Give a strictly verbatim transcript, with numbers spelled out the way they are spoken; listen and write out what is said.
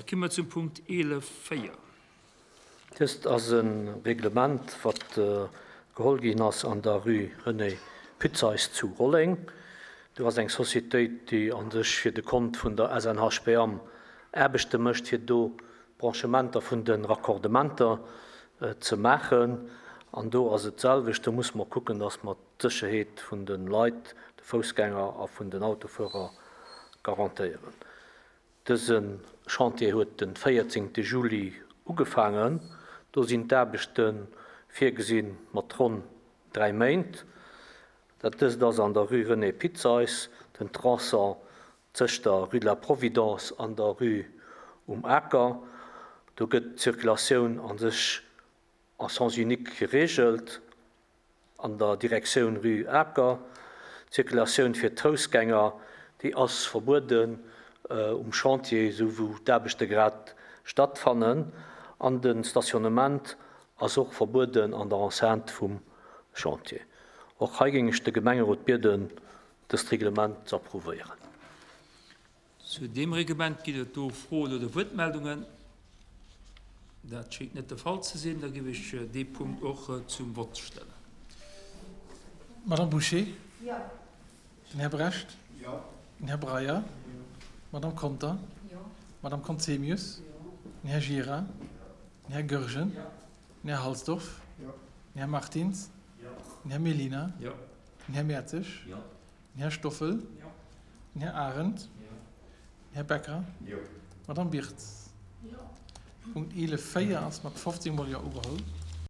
Da komme mer zum Punkt eelef véier. Dëst ass e Reglement, wat geholl ginn ass an der Rue René Putzeys zu Rolleng. Do ass eng Societéit, déi a sech fir de Kont vun der S N H P A M Aarbechte mécht, fir do Branchementer vun de Raccordementer ze maachen. An do ass et d'selwecht, do muss mer kucken, dass mer d'Sécherheet vun de Leit, de Foussgänger a vun den Autofuerer garantéieren. Dëse Chantier huet de véierzéngte Juli ugefaangen. Do sinn d'Aarbechte virgesinn mat ronn dräi Méint. Dat dëst ass an der Rue René Putzeys, den Tronçon tëscht der Rue de la Providence an der Rue Um Aker. Do gëtt d'Zirkulatioun a sech en sens unique gereegelt an der Direktioun Rue Aker. D'Zirkulatioun fir d'Foussgänger, déi ass verbueden um Chantier, esou wou d'Aarbechte grad stattfannen. An de Stationnement ass och verbueden an der Enceinte vum Chantier. Och hei géing ech de Gemengerot bieden, dëst Reglement ze approuvéieren. Zu deem Reglement ginn et do Froen oder Wuertmeldungen? Dat schéngt net de Fall ze sinn. Da géif ech dee Punkt och zum Vott stellen. Madame Boucher? Jo. Den Här Brecht? Jo. Den Här Breyer? Jo. Madame Conter? Jo. Madame Conzemius? Jo. Den Här Gira? Den Här Goergen? Jo. Den Här Halsdorf? Jo. Den Här Martins? Jo. Den Här Mellina? Jo. Den Här Mertzig? Jo. Den Här Stoffel? Jo. Den Här Arendt? Jo. Den Här Becker? Jo. Madame Birtz? Jo. Punkt eelef véier ass mat fofzéng Mol Jo ugeholl.